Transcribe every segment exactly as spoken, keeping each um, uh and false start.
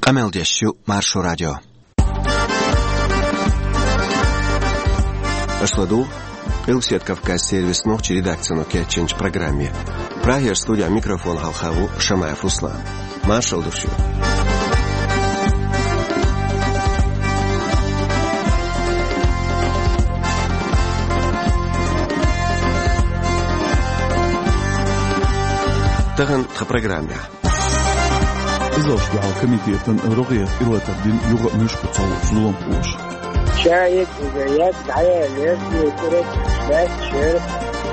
Къамел деш ю Маршо радио. Аша ладугӀу Къилбаседа Кавказ сервисан нохчийн редакцино кечйинчу программе. Прагера студехь микрофон хьалха ву Шамаев Руслан. Маршалла ду шуьга. Тахана тхан программехь. Къизалш дуьхьал комитетан рогӀера тӀелатар дина юха а муьшкъа ца луучу зуламхоша. Ша егга иза язда хьаяьллера, и курат лаьтташ яра,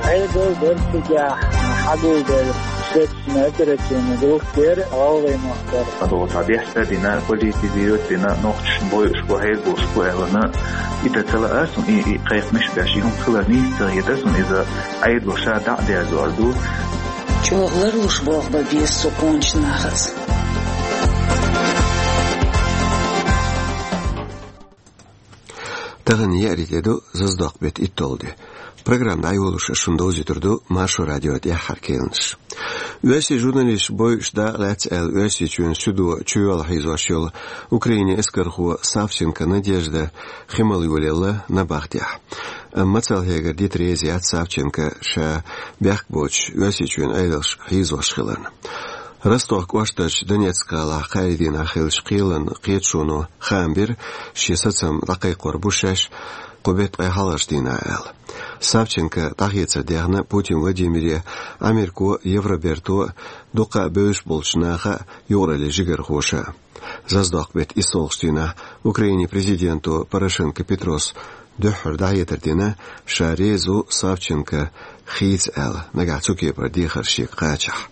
Ӏедал дара цигахь, хьагулбелла следственный оперативный группа яра, гӀалгӀай махкара. Ада цхьа бехк а дина, политизировать а дина, нохчашна бойуш бу, хьергалуш бу аьлла, и дан ца лаьа суна, и, и кхайкхамаш а беш, и хӀума хилар нийса ца хета суна, иза Ӏедало ша дӀа а дерзор ду. ЧӀогӀа ларлуш болх бан беза со кхунчу нахаца. Тахана еарин де ду, зазадоккху беттан итталгӀа де. Программа дӀайолош ас шуна довзуьйтур ду Маршо радион тӀаьххьара кхаьънаш. Оьрсийн журналисташ бойуш дакъа лаьцна аьлла, Оьрсийчоьнан суьдо чуйоьлла хьийзош йолу Украинан эскархо Савченко Надежда хи мала йолаелла набахтехь. Амма мацалла хьегар дита реза яц Савченко ша бехк боцуш Оьрсийчоьнан Ӏедалш хьийзош хиларна. Ростов кӀоштарчу Донецк-гӀалахь кхаарин дийнахь хиллачу кхелан кхеташоно хаам бира, шен сацам дӀакхайкхор бу шаьш кху беттан ткъе хьалхарчу дийнахь аьлла. Савченко дӀахецар дехна Путин Владимире, Ӏамерко а, Евроберто а, дуккха а бевзаш болчу наха а, юкъараллин жигархоша а. Зазадоккху беттан иссалгӀачу дийнахь Украинин президенто Порошенко Петрос дуьххьара дӀахьедар дина, ша реза ву Савченко хийца аьлла, нагахь цу кепара дехар шега кхачахь.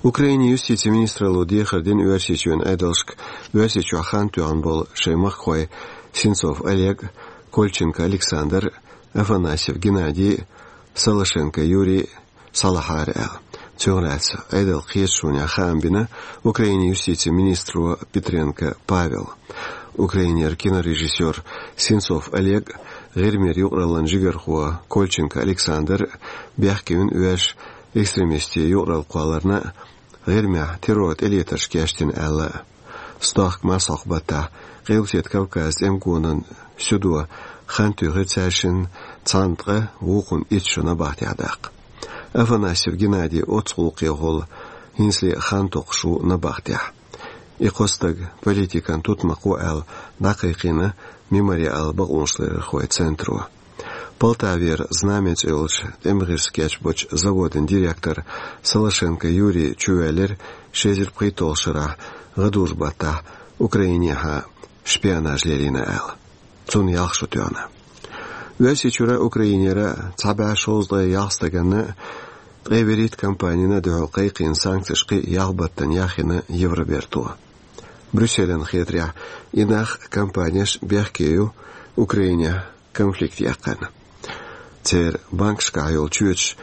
Украинин юстицин министралло дехар дина Оьрсийчоьнан Ӏедалшка Оьрсийчохь хан тоьхна болу шайн махкахой Сенцов Олег, Кольченко Александр, Афанасьев Геннадий, Солошенко Юрий схьалахьара аьлла. Цунах лаьцна Ӏедалан кхеташонехь хаам бина Украинин юстицин министро Петренко Павела. Украинера кинорежиссёр Сенцов Олег а, ГӀирмера юкъараллин жигархо Кольченко Александр а бехке вина оьрсаша экстремистийн юкъаралла кхолларна а, ГӀирмехь терроран тӀелетарш кечдина аьлла а. Стохка марсхьокху баттахь Къилбаседа Кавказан тӀеман гонан суьдо хан туьйхира цаьршинна цхьана ткъа вукхунна итт шо набахтехь даккха. Афанасьев Геннадий оццу гӀуллакхехула хӀинцале а хан токхуш ву набахтехь. И кхо стаг политикан тутмакх ву аьлла дӀакхайкхийна Мемориалан бакъонашларъярхойн центро. Полтавера «Знамя» цӀе йолчу тӀеман гӀирс кечбочу заводан директор Солошенко Юрий чувоьллира ши эзар пхийтталгӀачу шарахь гӀадужу баттахь Украинехьа шпионаж лелийна аьлла. Цунна ялх шо тоьхна. Оьрсийчуьра а, Украинера а цхьа бӀе шовзткъе ялх стаганна ткъе вуьрхӀитта компанина а дуьхьал кхайкхийна санкцеш кхин а ялх баттана яхйина Евроберто. Брюсселан хетарехь, и нах а, компанеш а бехке ю Украинехь конфликт яккхарна. Церан банкашкахь йолу чоьташ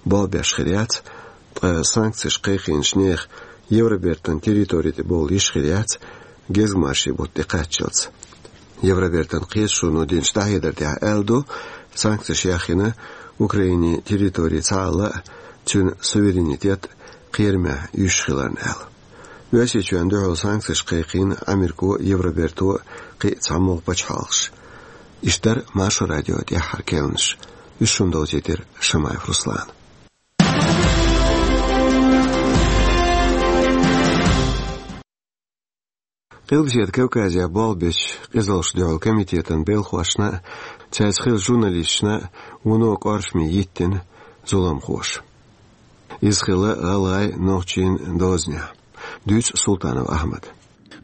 болх беш хир яц, ткъа санкцеш кхайкхийначу нехан Евробертан территори тӀе бовла йиш хир яц, гезгмашин бутт тӀекхаччалц. Евробертан кхеташоно динчу дӀахьедар тӀехь аьлла ду, санкцеш яхйина Украинин территори цхьаалла а, цуьнан суверенитет а кхерамехь юьсуш хиларна аьлла. Оьрсийчоьнна дуьхьал санкцеш кхайкхийна Америко а, Евроберто а, кхин а цхьамогӀа пачхьалкхаш. Иштта дара Маршо радион тӀаьххьара кхаьънаш. Уьш шуна довзийтира Шамаев Руслана. Къилбаседа Кавказехь болх бечу къизалшна дуьхьал комитетан белхошна а, цаьрца хиллачу журналисташна а вуно кӀоршаме йиттина зуламхоша. Иза хилла гӀалгӀайн, нохчийн дозанехь. Дуьйцу Султанов Ахьмада.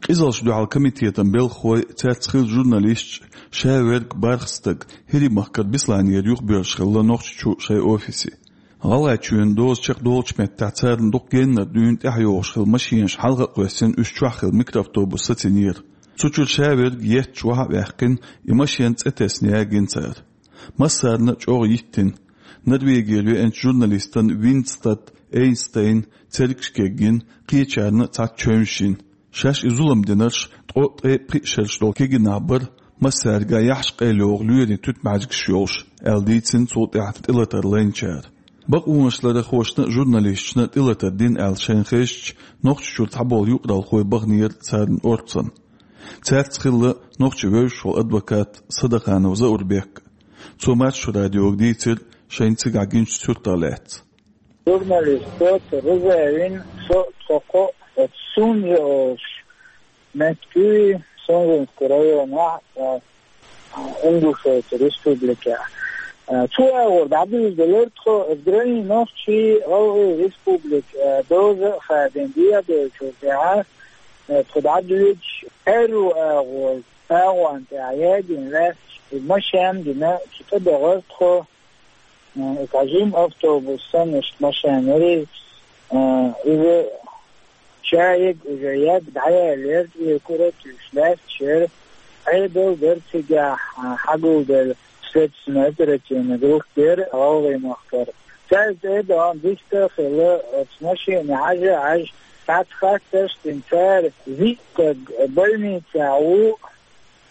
Къизалшна дуьхьал комитетан белхахой, цаьрца хиллачу журналисташа ша верг бархӀ стаг ХӀирийн махкара Бесланера юхабоьрзуш хилла Нохчийчу шайн офисе. ГӀалгӀайчоьнан доза чекхдолучу меттехь царна дукха геннара дуьйна тӀаьхьайогӀуш хилла машенаш хьалха а кхоьссина, уьш чохь хилла микроавтобус сацийнера. Цу чуьра ша верг етташ вахьа а ваьккхина, и машен цӀе тесна ягийна цара. Массарна а чӀогӀа йиттина. Норвегера веанчу журналистан Винстад Эйнстайн цергаш кегйина, кхечарна а цхьацца чевнаш йина. Шаьш и зулам динарш ткъо, ткъе пхиъ шераш долу кегийнах бара, массаьрга яхьаш къайлайогӀу лоьрийн туьтмӀаьжгаш йолуш, аьлла дийцина цул тӀаьхьа тӀелатар лайначара. Бакъонашларъярхошна а, журналисташна а тӀелатар дина аьлла шайна хезача, Нохчийчуьра цхьаболу юкъаралхой баханера царна орцанна. Цаьрца хилла нохчийн вевзаш волу адвокат Садаханов Заурбек. Цо Маршо радиога дийцира шайна цигахь гинчу суьртах лаьцна. Журналист Пётр Рузаевн со а, тхо кхо а оцу Сунжа олуш меттиг ю, Сунжинский районехь, а, Ингушетия республикехь. А, цу агӀор дӀадуьйцуш делира тхо, оцу граница нохчий, гӀалгӀай республика, а, доза а хадийна дехьа долчул тӀаьхьа, а, тхо дӀадоьдуш, аьрру агӀор, агӀонна тӀехь ядийна лаьтташ, и машен а дина, цу тӀе бахара тхо. Э, цхьа жима автобус санна иштта машен яра иза. Э, иза чаег уже яг дӀаяьллера, и кура туьйсуш лаьтташ яра. Ӏедал дара цигахь, э, хьагулделла следственно-оперативная группа яра гӀалгӀай махкара. Цаьрца тӀе а доьгӀна диста а хилла, оцу машене хьажа а хьаьжна, цхьацца хаттарш а дина цара, виъ стаг больницехь ву,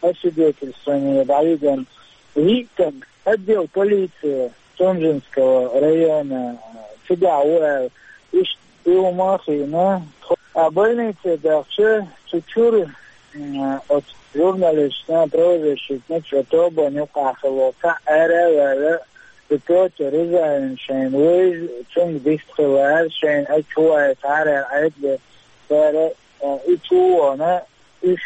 освидетельствование дӀавигна, виъ стаг отдел полиции Сунжинского района, цигахь ву аьлла, иштта и хӀума а хиъна. А больнице дахча, цу чуьра, м, оцу журналисташна, правозащитникашна, тобанна юкъахь хилла цхьаъ ара а ваьлла, и Пётр Рузаевн шайна вевза, цуьнга диста хилла аьлла, шайна а чу вайта хьара аьлла, Ӏедале цара, а, и чу а вахана, уьш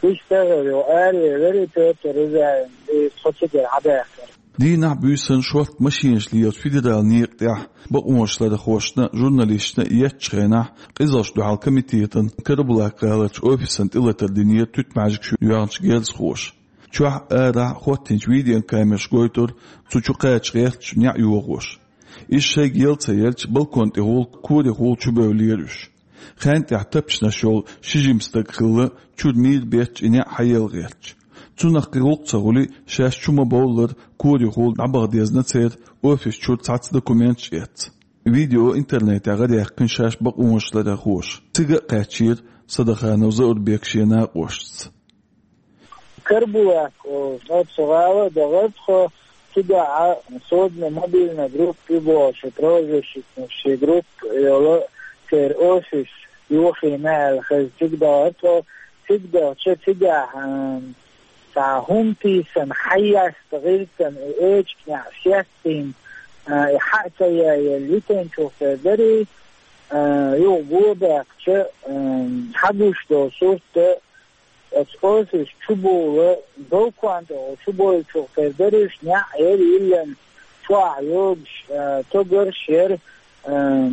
вистхилла аравелира, и Пётр Рузаевн, и тхо цигара хьадаьккхира. Дийнахь, буьйсанна шортта машенаш лелачу федералан некъа тӀехь бакъонашларъярхошна а, журналисташна а еттачу хенахь, къизаллаш дуьхьал комитетан Карабулак-гӀаларчу офисан тӀелатар динера туьтмӀаьжгаш йоьхначу герзахоша. Чохь а, арахь а хӀоттийначу видеокамераш гойтура цу чу кхача гӀерташ, неӀ йохош. Иза шайга яла ца елча, балкон тӀехула, корехула чубевллера уьш. Хенна тӀехь тапчанаш йолу ши жима стаг хилла, чуьра мийра бетташ и неӀ хьаелла гӀерташ. Цунах кхин гӀуллакх ца хуьлий, шаьш чу ма-бовллара, корехула дӀабаха дезна церан офис чуьра цхьацца документаш эцна. Видео интернетехь гӀадаьккхина шаьш бакъонашларъярхоша. Цига а кхаьчнера Садаханов Заурбек шен накъосташца. Карабулак олучу гӀала а дахара тхо, цигахь а созданная мобильная группа ю бохуш, правозащитникийн группа йолу церан офис йохийна аьлла хезна, цига дахара тхо. Цига дахча, цигахь, м, цхьа хӀума тийсина, хьайяста гӀиртина, и эчигнехь сеттийна, а, и хьа а ца яелла, йитинчух тера дара и, а, юха го баьккхича, м, хьагуш долу сурт а, оцу офис чу бовла, балкон тӀехула чу бовлучух тера дара уьш, неӀ яра йиллина, чохь йогуш, а, тогарш яра, а,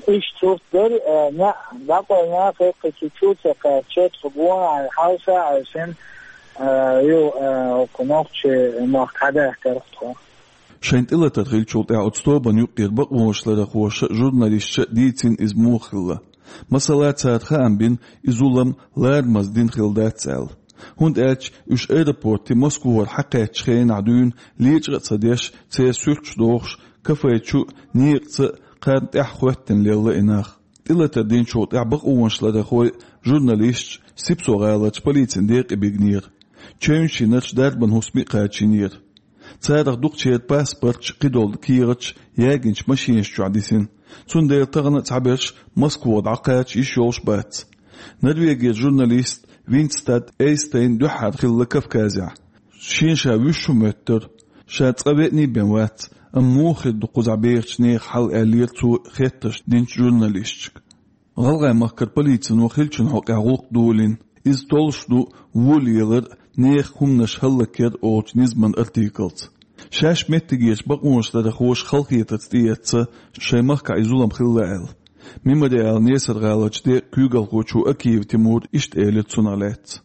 иштта сурт дара, а, неӀ дӀакъевлина, кхин цу чу ца кхаьчча, тхо гонахьа хьовса а хьовсина, а, ю, а, оцу нохчийн махка хьадаьккхира тхо. Шайн тӀелатар хиллачул тӀаьхьа оцу тобанна юккъера бакъонашларъярхоша а, журналисташа а дийцина иза муха хилла. Масала, цара хаам бина, и зулам ларамаза дина хилла дац аьлла. ХӀунда аьлча уьш аэропорте Москвара хьакхаьчначу хенахь дуьйна лечкъа а ца деш, церан суьрташ дохуш, кафе чу а, некъаца а кхарна тӀаьхьа хӀоьттина лелла и нах. ТӀелатар динчул тӀаьхьа бакъонашларъярхой а, журналисташ а Сипсо-гӀаларчу полицин декъе бигнера. Чевнаш йинарш, дарбан хӀусаме а кхачийнера. Царах дукхачеран паспорташ, кхидолу кехаташ ягийначу машенаш чохь дисина. Цундела тахана а цхьаберш Москва дӀакхача йиш йолуш бац. Норвегера журналист Винстад Эйстейн дуьххьара хилла Кавказехь. Шена ша вуьйш хӀума моьттура. Ша цкъа веаний бен вац, амма муха хир ду кхузахь бехачу нехан хьал, аьллера цо хеттарш динчу журналисташка. ГӀалгӀай махкара полицино хиллачун хьокъехь гӀуллакх долийна, иза толлуш ду вон лелар а, нехан хӀуманаш хӀаллакьяр а олучу низаман артиклца. Шаьш меттигерчу бакъонашларъярхоша халахетарца тӀеэцна шайн махкахь и зулам хилла аьлла. Мемориал Несар-гӀаларчу декъан куьйгалхочо Акиев Тимура иштта элира цунах лаьцна.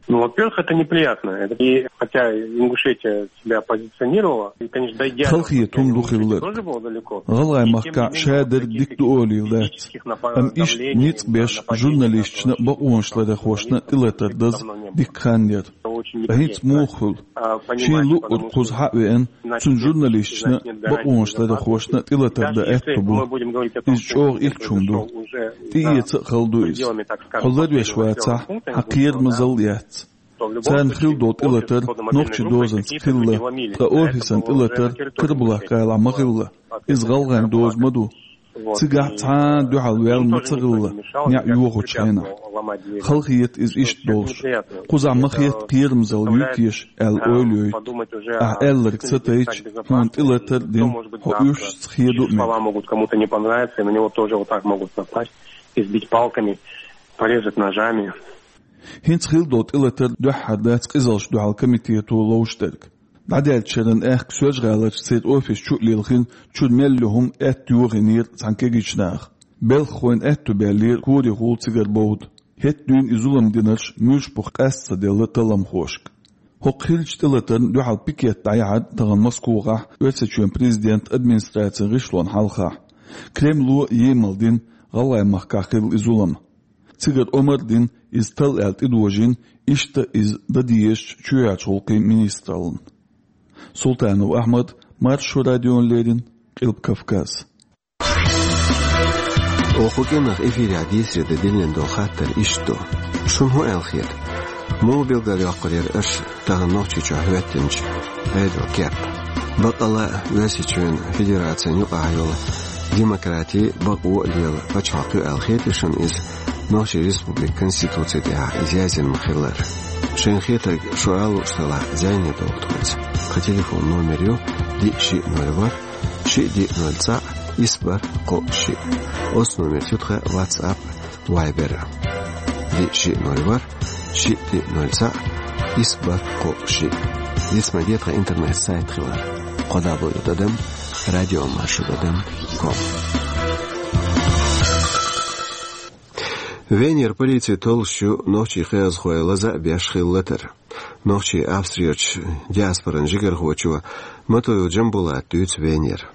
Ну, во-первых, это неприятно. Это и хотя Ингушетия себя позиционировала, и, конечно, до идеального состояния Ингушетия тоже было далеко. Халахетам ду хилла. ГӀалгӀай махкахь шадерг дика ду олийла дац. Амма иштта ницкъ беш журналисташна а, бакъонашларъярхошна а тӀелатар даза дикка хан яра. Ткъа хӀинца муха хуьлу? Шена луъург кхуза хьа а веана, цуьнан журналисташна а, бакъонашларъярхошна а тӀелатар дан аьтто бу. Иза чӀогӀа итт хӀума ду. ТӀеэца а хала ду иза. Хьо ларвеш вацахь, хьан кхерамазалла яц. Царна хилла долу тӀелатар нохчийн дозанца хилла, ткъа офисан тӀелатар Карабулак-гӀалахь ма хилла. Иза гӀалгӀайн доза ма ду. Цигахь цхьа а дуьхьал ваьлла ма ца хилла, неӀ йохучу хенахь. Халахета иза иштта долуш. Кхузахь ма хетта кхерамзалла ю теша аьлла ойла йойту. Ахь аьлларг ца тайча, хьуна тӀелатар а дина, хьо уьш хеду а мега. Слова могут кому-то не понравиться, и на него тоже вот так могут напасть, избить палками, порезать ножами. ХӀинца хилла долу тӀелатар дуьххьара дац къизаллашна дуьхьал комитето ловш дерг. ДӀадаьллачу шеран аьхка Соьлжа-ГӀаларчу церан офис чу а лелхина, чуьра мел йолу хӀума аьтто йохийнера цхьана кегийчу наха. Белхахойн аьтто баьллера корехула цигара бовда. ХӀетахь дуьйна и зулам динарш муьлш бу къаста ца делла талламхошка. ХӀокху хиллачу тӀелатарна дуьхьал пикет дӀаяхьара тахана Москвахь Оьрсийчоьнан президентан администрацин гӀишлонна хьалха. Кремло емал дина ГӀалгӀай махкахь хилла и зулам. Цигара омра а дина, иза талла аьлла тӀедожийна, иштта иза дан дезачу чоьхьарчу гӀуллакхийн министраллина. Султанов Ахьмад, Маршо радиона леррина, Къилба Кавказ. Оха кху кӀиранах эфирехь дийцаре дан диллина долу хаттар иштта ду. Шуна хӀун аьлла хета? Муха билгалйоккхур яра аша тахана Нохчийчохь хӀоьттинчу Ӏедалан кеп? Бакъалла а Оьрсийчоьнан Федерацин юкъахь йолу демократи, бакъо а лела пачхьалкх ю аьлла хетий шуна иза, Нохчийн Республикан Конституци тӀехь иза яздина ма-хиллара? Шайна хетарг шу ала лууш делахь, зӀене догӀа тхоьца. Тхан телефон номер ю: диъ шиъ ноль ворхӀ, шиъ диъ ноль цхьаъ, исс бархӀ кхоъ шиъ. Оцу номерца ю тхан WhatsApp, Viber. Диъ шиъ ноль ворхӀ, шиъ диъ ноль цхьаъ, исс бархӀ кхоъ шиъ. Диц ма де тхан интернет-сайт хилар: кхо дабл ю тӀадам радио маршо тӀадам ком. Венера полици толлуш ю нохчийн кхиазхой лаза а беш хилла латар. Нохчийн Австрерчу диаспоран жигархочо Матуев Джамбулата дуьйцу Венера.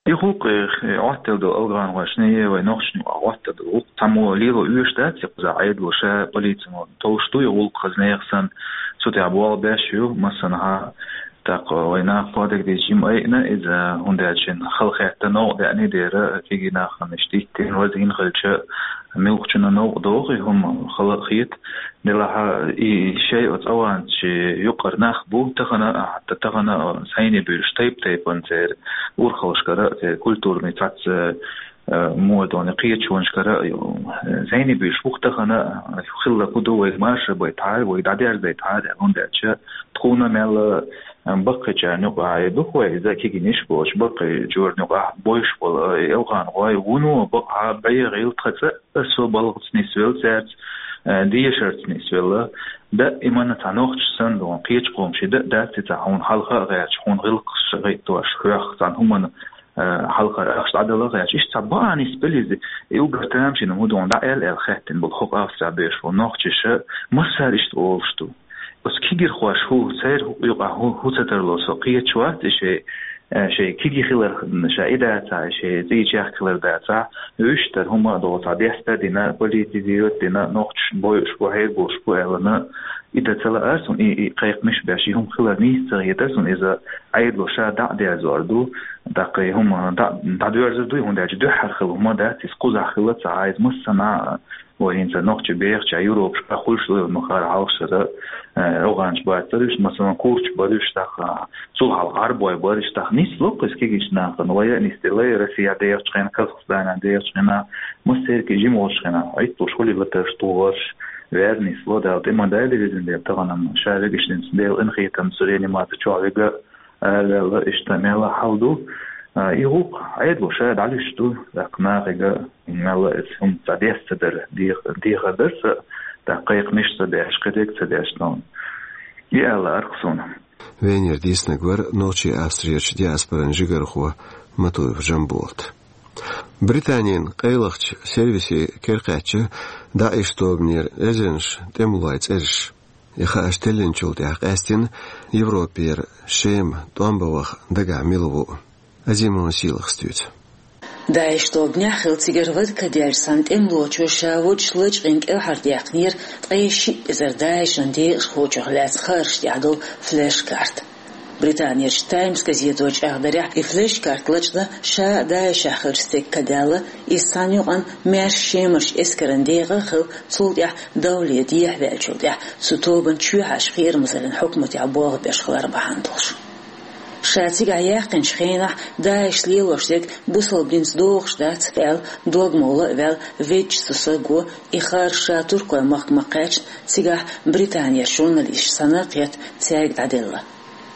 И гӀуллакх, э, Ӏоттаделла долу алгӀанхошна а, вайн нохчашна а Ӏоттаделла гӀуллакх, цхьаммо лело оьшуш дац, и кхузахь Ӏедало ша полици ма толлуш ду и гӀуллакх, хаза нехан санна, цу тӀехь болх беш ю массанхьа. ТӀаккха вайн наха кхоадагадийча жима айина иза, хӀунда аьлча шена хала хетта, новкъа деана дера, кегий нахана иштта диттина, вазийна хилча, муьлххачунна новкъа догӀу и хӀума, хала а хета. Делахь и шайн оцу аванчийн юкъара нах бу, тахана а, хӀатта тахана а, сайни буьйлуш тайп-тайпана церан урхаллашкара а, церан культурный цхьацца, э, модани кхеташонашкара а, э, сайни буьйлуш бу-кх тахана а, хилла хӀун ду, вайга марша байтахьара, вайга дӀадерзайтахьара, хӀунда аьлча тхуна мел, э, баккхийчарна юкъахь а ду-кх вай, иза кегийнаш болчу баккхийчарна юкъахь а бовзуш болу, э, алгӀанхой вуно бакъахьа бӀе гӀийла тхан цӀа а со балхаца нисвелла цаьрца, э, дешарца нисвелла. Даимана цхьа нохчи санна ду, кхечу къоман ши дан а дац, и цхьа хьуна хьалха а гӀерташ, хьуна гӀиллакхаш гӀайттош, хьох цхьана хӀуманна, э, хьалхара ахча дӀадала а гӀерташ. Иштта цхьа баа нисбелла иза, и уггар тамашийна хӀун ду дӀа аьлла аьлла хаьттина болу хӀокху Австрехь бевзаш болу нохчаша, массара иштта олуш ду. Оцу кегирхоша хӀу, церан юкъахь хӀу, хӀу ца тарло со кхеташ вац, и шайн, э, шайн кегий хилар, ша и дацахь, и шайн цӀийчех хилар дацахь, уьш тара хӀума а долу цхьа деста а дина, политизировать а дина, нохчаш бойуш бу, хьергалуш бу аьллана, и дан ца лаара суна, и, и кхайкхамаш а беш, и хӀума хилар нийса ца хетара суна, иза Ӏедало ша дӀа а дерзор ду, тӀаккха и хӀума дӀа, дӀадоьрзур ду, и хӀунда аьлча дуьххьара хилла хӀума дац, иза кхузахь хилла ца Ӏа, иза массанхьа а, вай хӀинца нохчий бехача Европашкахь хуьлуш ду, ма хара хьалхашкара, э, афганцаш бацара уьш, масала, курдаш бара уьш, тӀаккха цул хьалха гӀарбой бара уьш, тӀаккха нисло-кх иза кегийчу нахана, вай а нисделла, Россехь дехачу хенахь, Казахстанехь дехачу хенахь, массеран а жима волчу хенахь, Ӏитталуш хуьлийла латарш тухуш, вер нисло, Дала тӀе ма дойла везан Дела, тахана-м ша вегаш динца Делан къинхетамца реанимаци чохь вега, араваьлла, иштта мелла хьал ду. А, и гӀуллакх Ӏедало ша дӀалуьйш ду, тӀаккха нахе а мелла иза хӀума цхьа дес ца дара, дех-, дехар дара сан, тӀаккха кхайкхамаш ца беш, кхидерг ца деш, но и аьлла аркъ суна. Венера дийцинарг вара нохчийн Австрерчу диаспоран жигархо Матуев Жамболат. Британин къайлахчу сервисийн кара кхаьчна ДАИШ тобанера эзарнаш тӀемалойн цӀераш. И хаарш теллинчул тӀаьхьа къаьстина Европера Шема тӀом бан ваха дагахь мила ву а. Азимова Сийлахас дуьйцу. ДАИШ тобанехь хилла цигара вадка даьлча цхьана тӀемалочо ша волчу лачкъийна кӀелхьардаьккхинера ткъе шиъ эзар ДАИШан декъашхочух лаьцна хаарш тӀехь долу флеш-карта. Британерчу Times газето чӀагӀдарехь, и флеш-карта лачкъадо ша ДАИШ-ехь хиллачу стеган ка даьлла, иза цхьана юкъана маьрша Шемарчу эскаран декъа а хилла, цул тӀаьхьа давле дехьаваьллачул тӀаьхьа цу тобанан чоьхьарчу кхерамазаллин хьукматехь болх беш хилар бахьана долуш. Ша цигахь яьккхинчу хенахь ДАИШ-ца лелош дерг бусалба динца догӀуш дац аьлла, дог-молла а ваьлла, веъча цу стага и харж ша туркойн махка ма-кхаьчна, цигахь Британерчу журналисташца санна а кхетта, цаьрга дӀаделла.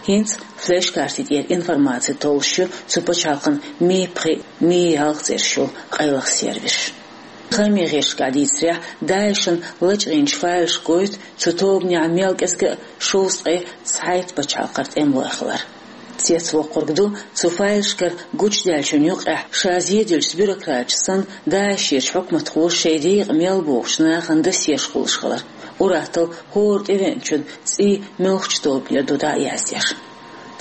ХӀинца флеш-карти тӀера информаци толлуш ю цу пачхьалкхан Ми пхиъ, Ми ялх цӀераш йолу къайлаха сервисаш. Хаамийн гӀирсашкахь дийцарехь, ДАИШ-ан лачкъийначу файлаша гойту цу тобанехь мел кӀезиг а шовзткъе цхьайтта пачхьалкхара тӀемалой хилар. Цецвоккхург ду, цу файлашкара гучудаьллачунна юкъахь ша зеделлачу бюрократаша санна, ДАИШ-ерчу хьукматхоша шайн декъа мел богӀучу нахана досьеш кхуллуш хилар. Ур-атталла хӀора тӀевеанчун цӀий муьлхачу тобанера ду дӀа а яздеш.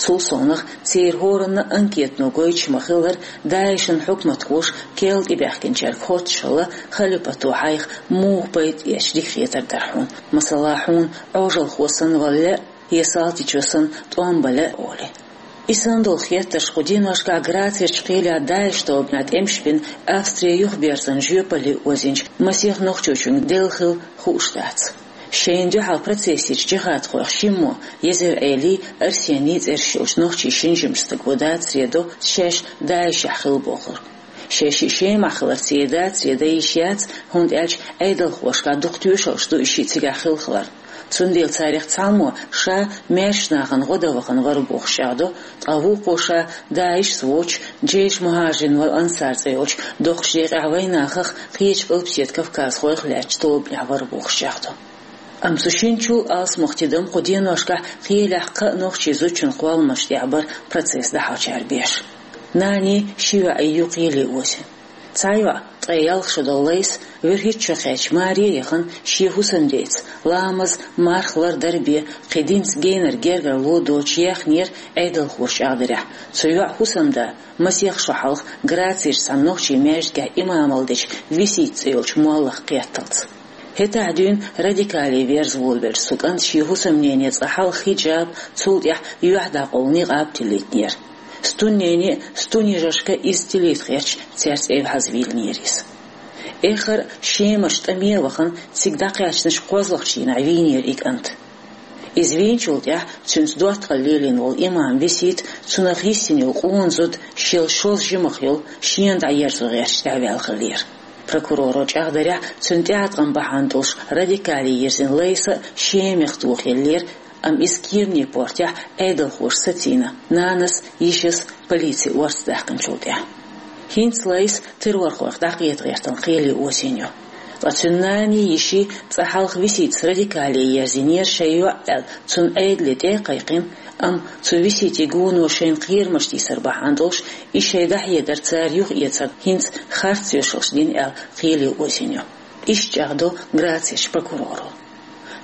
Цул совнаха, церан хӀоранна а анкетано гойтуш ма-хиллара, ДАИШ-ан хьукматхоша керла тӀебаьхкинчаьрга хоттуш хилла, халипато хьайх муха пайда эцча дика хетар дара хьуна, масала, хьуна Ӏожалхо санна вала лаьа, я салтичо санна тӀом бан лаьа олий. И санна долу хеттарш кху деношкахь Грацерчу кхелехь ДАИШ тобанехь тӀемаш бина Австрин юхаберзан жоьпалле озийначу масех нохчочуьнга делла хилла хууш дац. Шайна дуьхьал процессерчу джихадхойх Шиммо, Езеръелий, Арсений цӀераш йолчу нохчийн шина жимачу стага дацаре до шаьш ДАИШ-ехь хилла бохург. Шаьш и Шемахь хилар церан дацаре дан йиш яц, хӀунда аьлча Ӏедалхошкахь дукха тоьшаллаш ду и шиъ цигахь хилла хилар. Цундела царах цхьаммо ша маьршачу нахана гӀо дан вахана вара бохуш чӀагӀдо, ткъа вукхо ша ДАИШ-ца воцуш, Джейш Мухьажирин вал Ансар цӀе йолчу доккхачу декъехь вайнахах, кхечу Къилбаседа Кавказхойх лаьттачу тобанехь вара бохуш чӀагӀдо. Амма цу шинчул алсамох тидам кху деношкахь кхелехь кхаа нохчийн зудчун кхолламаш тӀехь бара процесс дӀахьочара беш. Нанний ши йоӀий ю кхеле озийна. Цхьа йоӀ, ткъе ялх шо долу Лайса, вуьрхӀитта шо кхаьчча маре а яхана, шен хӀусамдеца, ламаз, марха лардар бен, кхин динца генара гергарло доцуш яьхнера, Ӏедалхоша чӀагӀдарехь. Цу йоӀан хӀусамда масех шо хьалха Грацерчу цхьана нохчийн маьждигехь имамалла дечу Висита цӀе йолчу моллах кхетталц. ХӀетахь дуьйна радикале верза волавеллачу цу кӀанта шен хӀусамнене цкъа хьалха хиджаб, цул тӀаьхьа юьхь дӀакъовла никъаб тилийтинера. Стуннене а, стунъяжаршка а иза тилийта гӀерташ, цаьрца эвхьазвийлинера иза. Эххар а Шемарчу тӀаме а вахана, цига дӀакхаьчначу кхозлагӀчу дийнахь вийнера и кӀант. Иза вийначул тӀаьхьа цуьнца доттагӀалла лелийна волу имам Висита, цунах йиссина йолу къона зуда, шел шозза жимах йолу, шена дӀаерзо гӀерташ тӀаьхьаваьлла хиллера. Прокуроро чӀагӀдарехь, цуьнан тӀеӀаткъам бахьана долуш радикале йирзина Лайса а Шемах тохаеллера, амма иза кеманийн портехь Ӏедалхоша сацийна, нанас а, йишас а полицин орца даьккхинчул тӀаьхьа. ХӀинца Лайса террорхойх дӀакхета гӀертарна кхеле озийна ю. Ткъа цуьнан нанний, йиший цкъа хьалха Виситас радикале ерзийнера шайн йоӀ аьлла, цунна Ӏедале тӀе а кхайкхина, амма цу Виситин гоно шайна кхерамаш тийсар бахьана долуш, и шайн дӀахьедар цара юхаэцарна хӀинца харц доьшаллаш дина аьлла, кхеле озийна ю. Иштта чӀагӀдо Грацерчу прокуроро.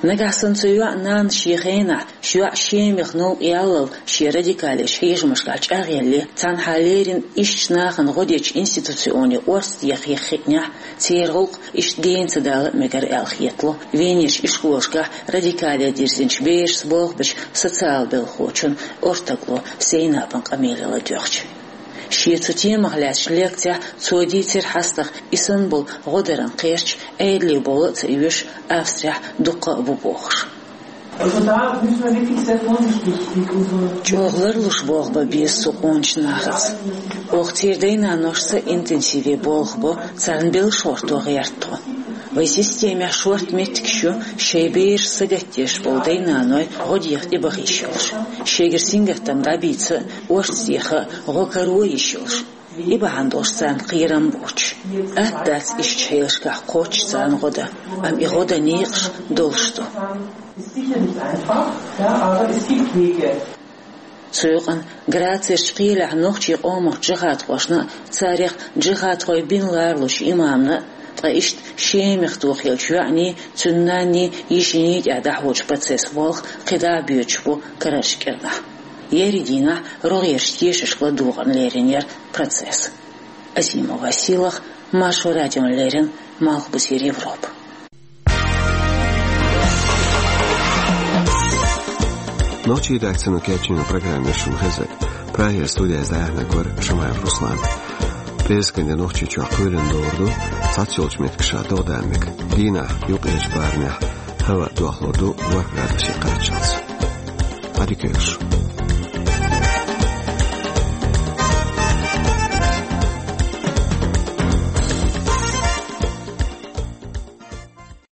Нагахь санна цу йоӀан нанна шен хенахь, шен йоӀ Шемах новкъа яллал шен радикалеш хьежамашкахь чӀагӀъелле, цхьанхьа леррина ишттачу нахана гӀо дечу институционе орца деха хиънехь, церан гӀуллакх иштта гена ца дала а мегар аьлла хетало Венерчу ишколашкахь радикале дирзинчу берашца болх бечу социал белхахочун ортагло Зейнабан къамеле ладоьгӀча. Шен цу темах лаьцначу лекцехь цо дийцира хьастагӀа, и санна болу гӀо даран кхерч Ӏедале бовла а ца оьшу, Австрехь дуккха а бу бохуш. Also da müssen wir wirklich sehr vorsichtig mit unseren. ЧӀогӀа ларлуш болх бан беза цу къоначу нахаца. Оха церан дайн-наношца интенсиве болх бо, царна белш гӀортор гӀерта тхо. Вайн системехь шорта меттигаш ю шайн бераш сагатдеш болу дайн-наной гӀо деха тӀебаха йиш йолуш, шегара сингаттам дӀабийца а, орца деха а, гӀо каро а йиш йолуш. И бахьана долуш царна кхерам боцуш. Атта дац иштта хьелашкахь кхоччуш царна гӀо дан, амма и гӀо дан некъаш долуш ду. Ist sicher nicht einfach, ja, aber es gibt Wege. Цу юкъана Грацерчу кхелехь нохчийн къомах джихадхошна а, царех джихадхой бина ларалучу имамна а, ткъа иштта Шемах тохаеллачу йоӀаний, цуьнан нанний, йишиний тӀехь дӀахьочу процессан болх кхидӀа а боьдуш бу карарчу кӀирнахь. Еарин дийнахь рогӀерчу тешашка ладогӀарна лерина яра процесс. Азимова Силах, Маршо радиона леррина, Малхбузера Европа. Нохчийн редакцино кечйина программа шуна хезар. Прагера студехь дӀаяьхьнарг вара Шамаев Руслан. ПӀераскан де Нохчийчохь кхоьлина ловр ду цхьаццайолчу меттигашкахь догӀа дан мега. Дийнахь юккъерчу барамехь хӀаваъ дохлур ду ворхӀ градусе кхаччалц. Ӏадика йойла шун.